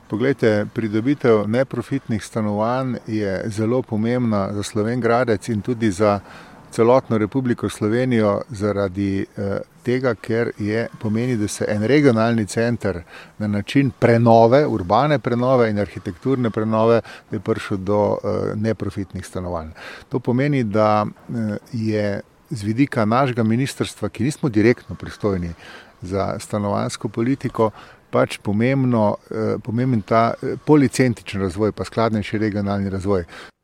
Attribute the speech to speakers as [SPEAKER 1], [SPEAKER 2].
[SPEAKER 1] Poglejte, pridobitev neprofitnih stanovanj je zelo pomembna za Slovenj Gradec in tudi za celotno Republiko Slovenijo zaradi tega, ker pomeni, da se en regionalni center na način prenove, urbane prenove in arhitekturne prenove, da je prišel do neprofitnih stanovanj. To pomeni, da je z vidika našega ministrstva, ki nismo direktno pristojni za stanovanjsko politiko, pač pomemben ta policentričen razvoj, pa skladnejši regionalni razvoj.